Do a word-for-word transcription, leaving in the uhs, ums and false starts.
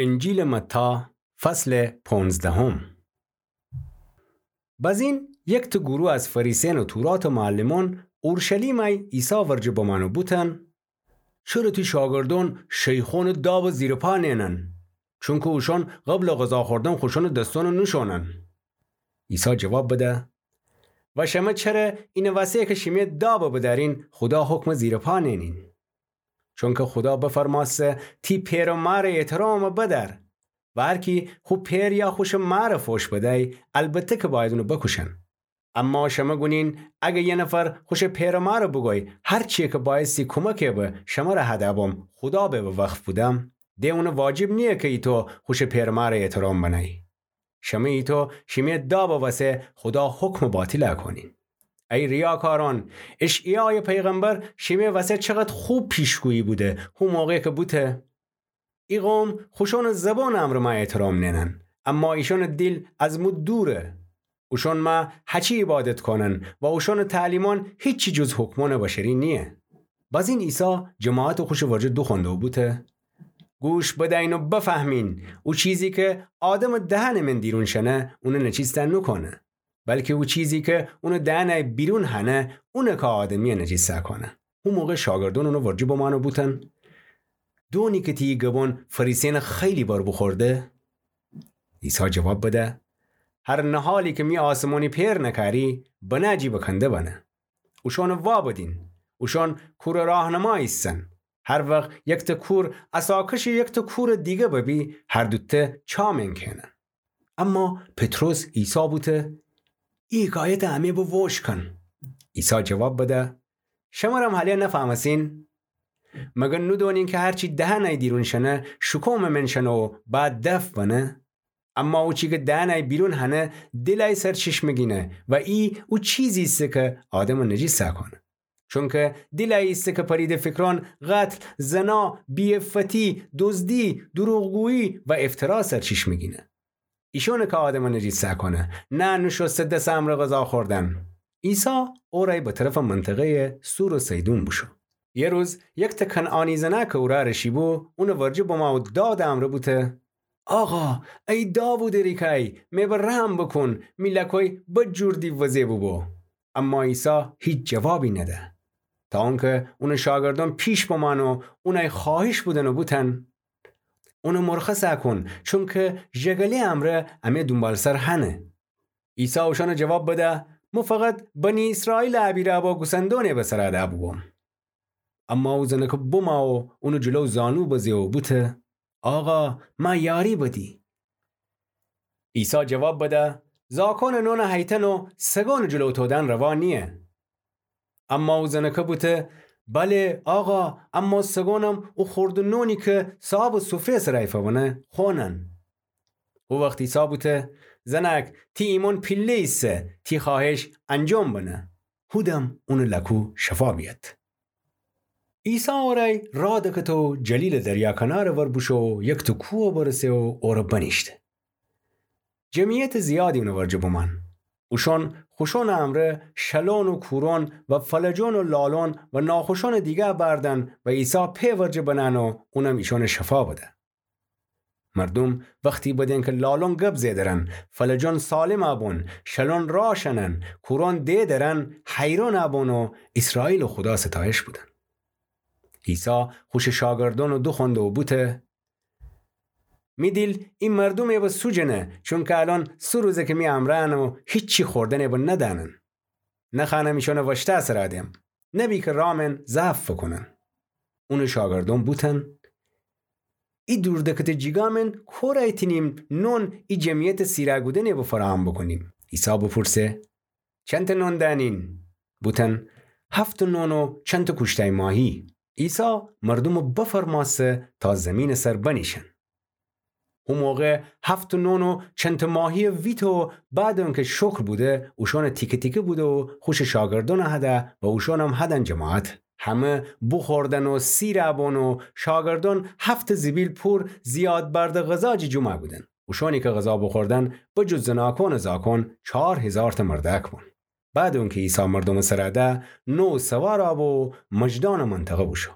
انجیلٚ متی، فصلٚ پونزدهم. بزین یکته گروه از فریسین و توراتٚ معلمون اورشلیمَ عیسی ورجه بمأن و بوتن: چره تی شاگردون شیخونٚ دابَ زیرٚ پا نئنن؟ چونکه اوشون قبلٚ غذا خوردن خوشونٚ دسونَ نوشونن. عیسی جواب بده: و شمه چره اینٚ وسه کی شیمه دابَ بدأرین، خودا حکمَ زیرٚ پا نئنین؟ چونکه خودا بفرمأسته: تی پئر و مارٚ احترامَ بدأر. و هر کی خو پئر یا خوشٚ مارَ فوش بدی، البته کی بأید اونَ بوکوشن. اما شمه گونین، اگر یه نفر خوشٚ پئر و مارَ بوگوی، هر چیی کی بأیستی کومکٚ به شمره هده بوم، خودا به وقف بودم، د اونَ واجب نییه کی ایتو خوشٚ پئر و مارَ احترام بنی. شمه ایتو شیمه دابٚ وسه خودا حکمَ باطلَ کونین. ای ریاکارون، اشعیایٚ پیغمبر شیمه وسه چقد خوب پیشگویی بوده، هو موقعی کی بوته: ای قوم خوشونٚ زبانٚ امرأ مَ احترام نئنن، اما ایشونٚ دیل از مو دوره. اوشون مَ هچی عبادت کونن و اوشونٚ تعلیمون هیچی جز حکمونٚ بشری نییه. بزین عیسی جماعتَ خوشٚ ورجه دوخوأنده و بوته: گوش بدأیین و بفهمین، او چیزی کی آدمٚ دهنٚ من دیرون شنه، اونَ نجیس نوکونه، بلکی او چیزی کی اونٚ دهنٚ بیرون هنه، اونه کی آدمیَ نجیس کونه. هو موقع شاگردون اونٚ ورجه بمأن و بوتن: دونی کی تی گبون فریسینَ خیلی بر بوخورده؟ عیسی جواب بده: هر نهالی کی می آسمونی پئر نکاری، بنه جی بکنده بنه. اوشونَ وا بدین. اوشون کورٚ راهنما ایسن. هر وخت یکته کور عصاکشٚ یکته کورٚ دیگه ببی، هر دوته چا مین کئنن. اما پطرس عیسی بوته: ای حکایتَ امه به ووشکن. عیسی جواب بده: شمرم هله نفهمسین؟ مگر نودونین کی هرچی دهنٚ دیرون شنه، شکومٚ من شنه و بعد دفع بنه؟ اما او چی کی دهنٚ بیرون هنه، دیلٚ سرچشمه گینه و ای او چیزی ایسه کی آدمَ نجیس کونه. چونکی دیلٚ ایسه کی پریده فکرون، قتل، زنا، بی‌عفتی، دزدی، دروغگویی و افترا سرچشمه گینه. ایشونه کی آدمَ نجیس کونه، نه نوشوسته دسٚ امرأ غذا خوردن. عیسی اورأی به طرفٚ منطقه‌یٚ صور و صیدون بوشو. یه روز یکته کنعانی زنأک اورأ رشیبو، اونٚ ورجه بمأ و دادٚ امرأ بوته: آقا، ای داوودٚ ریکای، می به رحم بوکون، می لکوی بد جور دیووزه بوبو. اما عیسی هیچ جوابی نده. تا اونکی اونٚ شاگردون پیش بمأن و اونأی خوأهش بودن و بوتن: اونَ مرخص کون، چونکی ژگله‌یٚ امرأ امه دونبالسر هنه. عیسی اوشأنَ جواب بده: مو فقط بنی ایسرائیلٚ ابیرأبا گوسندونٚ به سرَ دأ بوبوم. اما او زنکه بومأ و اونٚ جلو زانو بزه و بوته: آقا، مه یاری بدی. عیسی جواب بده: زاکونٚ نونَ هیتن و سگونٚ جلو تودن روا نییه. اما او زنکه بوته: بله، آقا، اما سگونم او خوردٚ نونی کی صاحبٚ سفره‌یٚ سرَ ایفأ بنه، خونن. او وخت عیسی بوته: زنأک، تی ایمأن پیله ایسه، تی خوأهش انجام بنه. هودم اونٚ لکو شفا بیأد. عیسی اورأی راه دکته و جلیلٚ دریا کنارٚ ور بوشو و یکته کوه برسه و اورَ بنیشته. جمعیتٚ زیادی اونٚ ورجه بومأن. اوشأن خوشأنٚ امرأ شلون و کورون و فلجون و لالون و ناخوشأنٚ دیگه بأردن و عیسی پئ ورجه بنأن و اونم ایشأنَ شفا بده. مردوم وختی بدین کی لالون گب زئدرن، فلجون سالمَ بون، شلون راه شنن، کورون دئ درن، حیرونَ بون و ایسرائیلٚ خودا ستایش بودن. عیسی خوشٚ شاگردأنَ دوخوأنده و بوته: می دیل ای مردومَ به سوجنه، چونکی الأن سه روزه کی می امرأن و هیچی خوردنَ به ندأنن. نخوأنم ایشأنَ وأشتأ سرَ دم، نبی کی رامن ضعف فکونن. اونٚ شاگردأن بوتن: ای دور دکته جیگا من کورأی تینیم نون ای جمعیتٚ سیرَ گودنَ به فراهم بوکونیم؟ عیسی بوپورسه: چنتأ نون دأنین؟ بوتن: هفتأ نون و چنتأ کوشتأی ماهی. عیسی مردومَ بفرمأسته تا زیمینٚ سر بنیشن. هو موقع هفتأ نون و چنتأ ماهی ویته و بعد اونکی شکر بوده، اوشأنَ تیکه تیکه بوده و خوشٚ شاگردأنَ هده و اوشأنم هدن جماعت. همه بوخوردن و سیرَ بون و شاگردأن هفتأ زیبیل پور زیاد بردٚ غذا جی جمعَ بودن. اوشأنی کی غذا بوخوردن، بجز زناکأنٚ زاکأن، چار هیزارتأ مردأک بون. بعد اونکی عیسی مردومٚ سرَ ده، نو سوارَ بو و مجدانٚ منطقه بوشو.